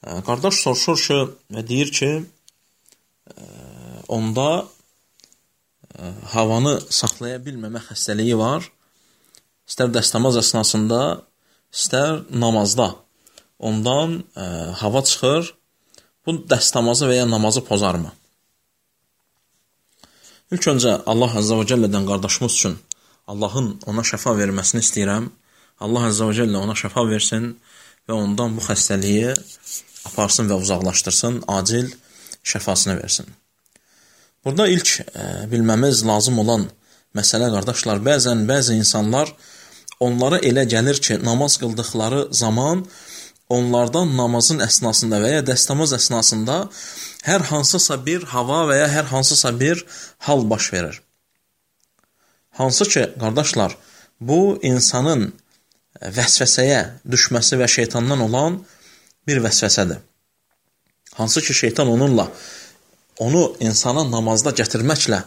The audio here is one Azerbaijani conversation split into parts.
Qardaş soruşur ki, deyir ki, onda havanı saxlaya bilməmə xəstəliyi var. İstər dəstəmaz əsnasında, istər namazda. Ondan hava çıxır. Bu dəstəmazı və ya namazı pozarmı? İlk öncə Allah Əzzə və Cəllədən qardaşımız üçün Allahın ona şəfa verməsini istəyirəm. Allah Əzzə və Cəllə ona şəfa versin və ondan bu xəstəliyi aparsın və uzaqlaşdırsın, acil şəfasını versin. Burada ilk bilməmiz lazım olan məsələ, qardaşlar, bəzi insanlar onlara elə gəlir ki, namaz qıldıqları zaman onlardan namazın əsnasında və ya dəstəmaz əsnasında hər hansısa bir hava və ya hər hansısa bir hal baş verir. Hansı ki, qardaşlar, bu insanın vəsvəsəyə düşməsi və şeytandan olan bir vəsvəsədir. Hansı ki, şeytan onu insana namazda gətirməklə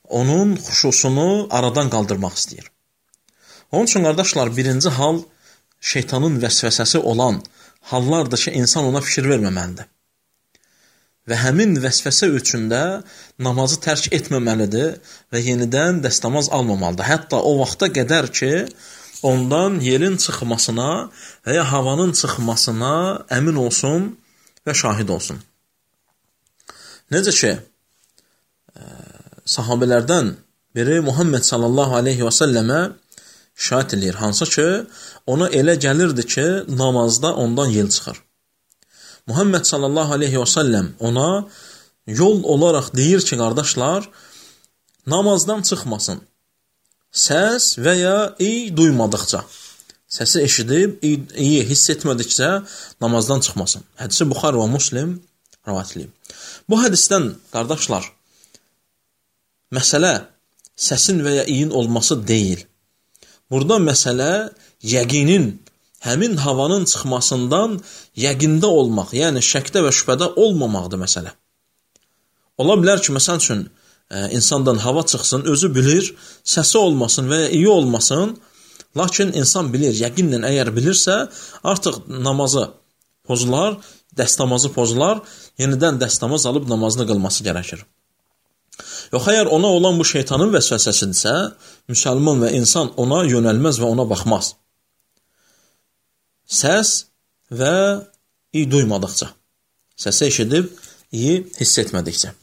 onun xuşusunu aradan qaldırmaq istəyir. Onun üçün, qardaşlar, birinci hal şeytanın vəsvəsəsi olan hallardır ki, insan ona fikir verməməlidir. Və həmin vəsvəsə üçün də namazı tərk etməməlidir və yenidən dəstəmaz almamalıdır. Hətta o vaxta qədər ki, ondan yerin çıxmasına və ya havanın çıxmasına əmin olsun və şahid olsun. Necə ki, sahabələrdən biri Muhammed sallallahu aleyhi və səlləmə şahid edir. Hansı ki, ona elə gəlirdi ki, namazda ondan yel çıxır. Muhammed sallallahu aleyhi və səlləm ona yol olaraq deyir ki, qardaşlar, namazdan çıxmasın. Səs və ya iyi duymadıqca, səsi eşidib, iyi hiss etmədikcə namazdan çıxmasın. Hədisi Buxari və Müslim rivayət edib. Bu hədisdən, qardaşlar, məsələ səsin və ya iyin olması deyil. Burada məsələ yəqinin, həmin havanın çıxmasından yəqində olmaq, yəni şəkdə və şübhədə olmamaqdır məsələ. Ola bilər ki, məsəl üçün, insandan hava çıxsın, özü bilir, səsi olmasın və ya iyi olmasın, lakin insan bilir, yəqinlə əgər bilirsə, artıq namazı pozular, dəstəmazı pozular, yenidən dəstəmaz alıb namazını qılması gərəkir. Yox, əgər ona olan bu şeytanın vəsvəsəsidirsə, müsəlman və insan ona yönəlməz və ona baxmaz. Səs və iyi duymadıqca, səsi eşidib, iyi hiss etmədikcə.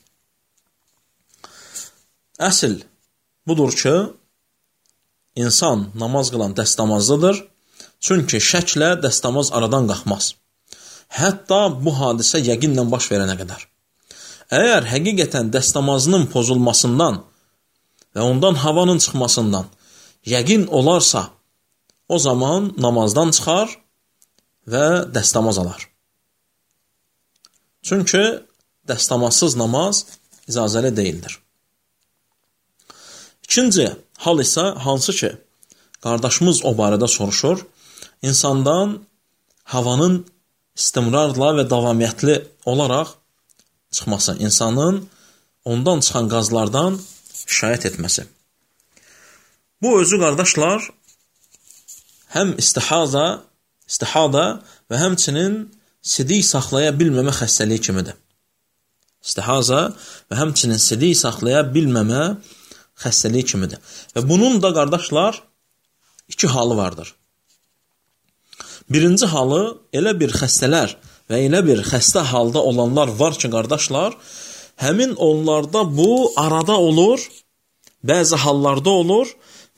Əsl budur ki, insan namaz qılan dəstəmazlıdır, çünki şəklə dəstəmaz aradan qalxmaz. Hətta bu hadisə yəqinlə baş verənə qədər. Əgər həqiqətən dəstəmazının pozulmasından və ondan havanın çıxmasından yəqin olarsa, o zaman namazdan çıxar və dəstəmaz alar. Çünki dəstəmazsız namaz icazəli deyildir. İkinci hal isə hansı ki, qardaşımız o barədə soruşur, insandan havanın istimrarla və davamiyyətli olaraq çıxması, insanın ondan çıxan qazlardan şikayət etməsi. Bu özü, qardaşlar, həm istihada və həmçinin sidik saxlaya bilməmə xəstəliyi kimidir. İstihaza və həmçinin sidik saxlaya bilməmə xəstəliyi kimidir. Və bunun da, qardaşlar, iki halı vardır. Birinci halı, elə bir xəstələr və elə bir xəstə halda olanlar var ki, qardaşlar, həmin onlarda bu arada olur, bəzi hallarda olur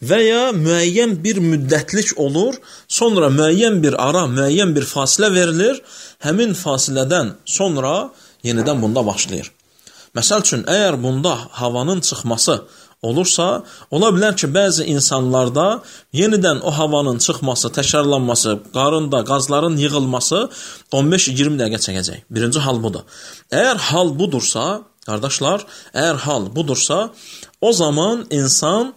və ya müəyyən bir müddətlik olur, sonra müəyyən bir ara, müəyyən bir fasilə verilir, həmin fasilədən sonra yenidən bunda başlayır. Məsəl üçün, əgər bunda havanın çıxması olursa, ola bilər ki, bəzi insanlarda yenidən o havanın çıxması, təkrarlanması, qarında qazların yığılması 15-20 dəqiqə çəkəcək. Birinci hal budur. Əgər hal budursa, qardaşlar, o zaman insan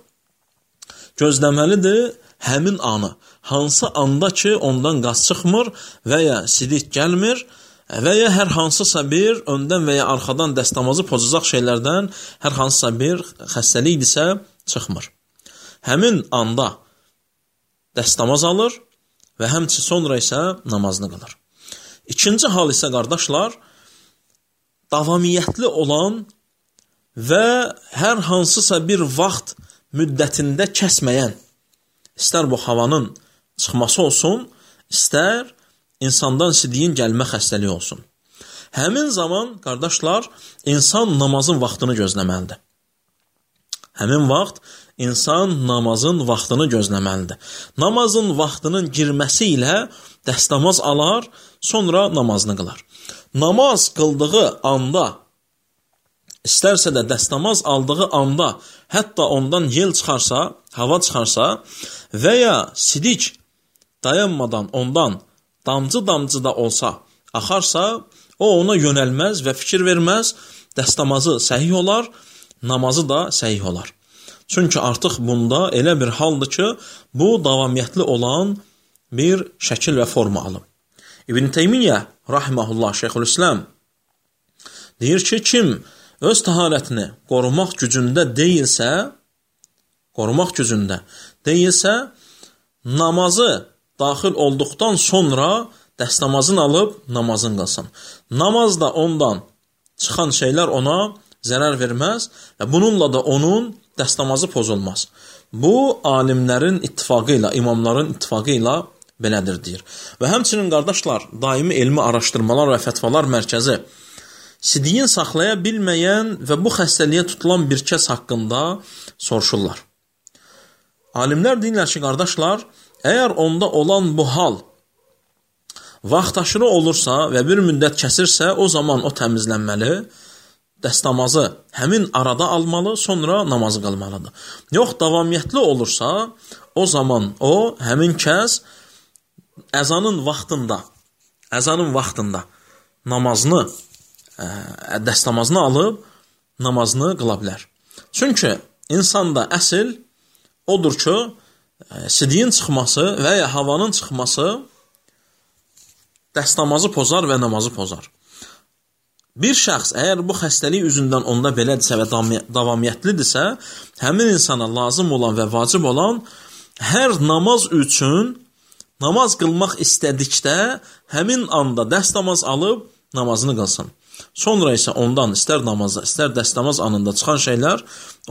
gözləməlidir həmin anı. Hansı anda ki, ondan qaz çıxmır və ya sidik gəlmir və ya hər hansısa bir öndən və ya arxadan dəstəmazı pozacaq şeylərdən hər hansısa bir xəstəlikdirsə çıxmır. Həmin anda dəstəmaz alır və həmçinin sonra isə namazını qılır. İkinci hal isə qardaşlar, davamiyyətli olan və hər hansısa bir vaxt müddətində kəsməyən, istər bu havanın çıxması olsun, istər insandan sidiyin gəlmə xəstəliyi olsun. Həmin zaman, qardaşlar, insan namazın vaxtını gözləməlidir. Həmin vaxt insan namazın vaxtını gözləməlidir. Namazın vaxtının girməsi ilə dəstəmaz alar, sonra namazını qılar. Namaz qıldığı anda, istərsə də dəstəmaz aldığı anda, hətta ondan yel çıxarsa, hava çıxarsa və ya sidik dayanmadan ondan damcı-damcı da olsa, axarsa, o ona yönəlməz və fikir verməz, dəstəmazı səhih olar, namazı da səhih olar. Çünki artıq bunda elə bir haldır ki, bu davamiyyətli olan bir şəkil və forma alıb. İbn Teymiyyə, rahiməhullah, Şeyxülislam, deyir ki, kim öz təharətini qorumaq gücündə deyilsə, namazı daxil olduqdan sonra dəstəmazını alıb namazını qılsın. Namaz da ondan çıxan şeylər ona zərər verməz və bununla da onun dəstəmazı pozulmaz. Bu, alimlərin ittifaqı ilə, imamların ittifaqı ilə belədir, deyir. Və həmçinin, qardaşlar, daimi elmi araşdırmalar və fətvalar mərkəzi sidiyin saxlaya bilməyən və bu xəstəliyə tutulan bir kəs haqqında soruşurlar. Alimlər deyirlər ki, qardaşlar, əgər onda olan bu hal vaxtaşırı olursa və bir müddət kəsirsə, o zaman o təmizlənməli, dəstəmazı həmin arada almalı, sonra namazı qılmalıdır. Yox, davamiyyətli olursa, o zaman o, həmin kəs əzanın vaxtında namazını, dəstəmazını alıb, namazını qıla bilər. Çünki insanda əsl odur ki, sidiyin çıxması və ya havanın çıxması dəstəmazı pozar və namazı pozar. Bir şəxs əgər bu xəstəlik üzündən onda belədirsə və davamiyyətlidirsə, həmin insana lazım olan və vacib olan hər namaz üçün namaz qılmaq istədikdə həmin anda dəstəmaz alıb namazını qılsın. Sonra isə ondan istər namazda, istər dəstəmaz anında çıxan şeylər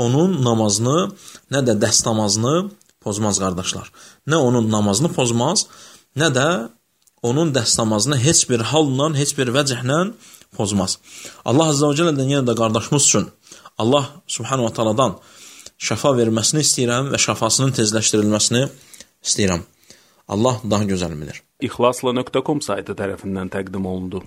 onun namazını, nə də dəstəmazını pozmaz, qardaşlar. Nə onun namazını pozmaz, nə də onun dəstəmazını heç bir halla, heç bir vəcəhlə pozmaz. Allah Azza və Cəllədən yenə də qardaşımız üçün Allah Subhanahu wa Ta'aladan şəfa verməsini istəyirəm və şəfasının tezləşdirilməsini istəyirəm. Allah daha gözəl bilir. İxlasla.com saytı tərəfindən təqdim olundu.